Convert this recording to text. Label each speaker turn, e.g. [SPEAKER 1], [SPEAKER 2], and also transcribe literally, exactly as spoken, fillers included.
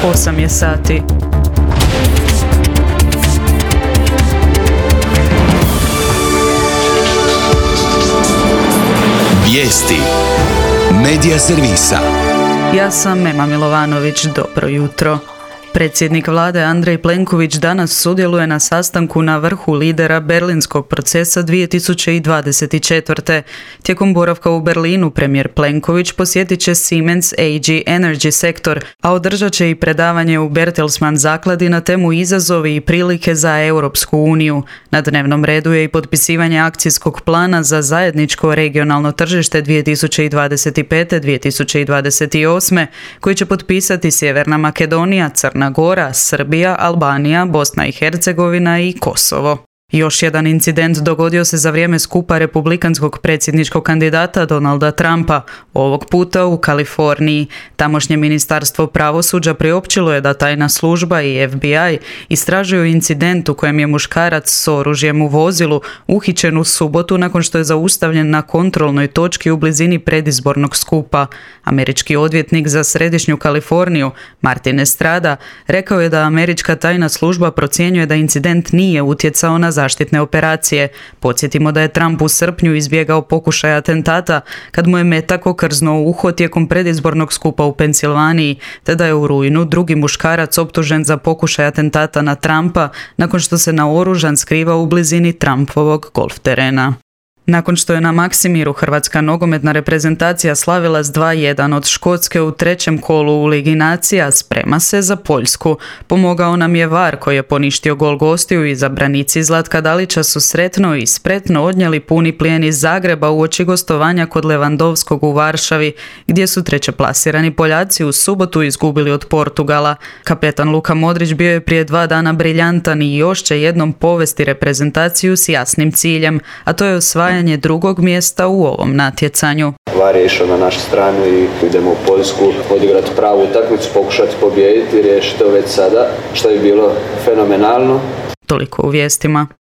[SPEAKER 1] osam je sati.
[SPEAKER 2] Vijesti Medija servisa.
[SPEAKER 1] Ja sam Ema Milovanović, dobro jutro. Predsjednik vlade Andrej Plenković danas sudjeluje na sastanku na vrhu lidera berlinskog procesa dvije tisuće dvadeset četvrte. Tijekom boravka u Berlinu premijer Plenković posjetit će Siemens A G Energy sektor, a održat će i predavanje u Bertelsmann zakladi na temu izazovi i prilike za Europsku uniju. Na dnevnom redu je i potpisivanje akcijskog plana za zajedničko regionalno tržište dvije tisuće dvadeset pete do dvije tisuće dvadeset osme koji će potpisati Sjeverna Makedonija, Crna Gora, Srbija, Albanija, Bosna i Hercegovina i Kosovo. Još jedan incident dogodio se za vrijeme skupa republikanskog predsjedničkog kandidata Donalda Trumpa, ovog puta u Kaliforniji. Tamošnje ministarstvo pravosuđa priopćilo je da tajna služba i F B I istražuju incident u kojem je muškarac s oružjem u vozilu uhićen u subotu nakon što je zaustavljen na kontrolnoj točki u blizini predizbornog skupa. Američki odvjetnik za središnju Kaliforniju, Martin Estrada, rekao je da američka tajna služba procjenjuje da incident nije utjecao na zaštitne operacije. Podsjetimo da je Trump u srpnju izbjegao pokušaj atentata kad mu je metak okrznuo uho tijekom predizbornog skupa u Pensilvaniji, te da je u rujnu drugi muškarac optužen za pokušaj atentata na Trumpa nakon što se naoružan skrivao u blizini Trumpovog golf terena. Nakon što je na Maksimiru hrvatska nogometna reprezentacija slavila s dva jedan od Škotske u trećem kolu u Ligi nacija, sprema se za Poljsku. Pomogao nam je V A R koji je poništio gol gostiju i izabranici Zlatka Dalića su sretno i spretno odnijeli puni plijen iz Zagreba uoči gostovanja kod Levandovskog u Varšavi, gdje su trećeplasirani Poljaci u subotu izgubili od Portugala. Kapetan Luka Modrić bio je prije dva dana briljantan i još će jednom povesti reprezentaciju s jasnim ciljem, a to je osvajanje drugog mjesta u ovom natjecanju.
[SPEAKER 3] V A R je išao na našu stranu i idemo u Poljsku odigrati pravu utakmicu, pokušati pobijediti i riješiti to već sada, što je bilo fenomenalno.
[SPEAKER 1] Toliko u vijestima.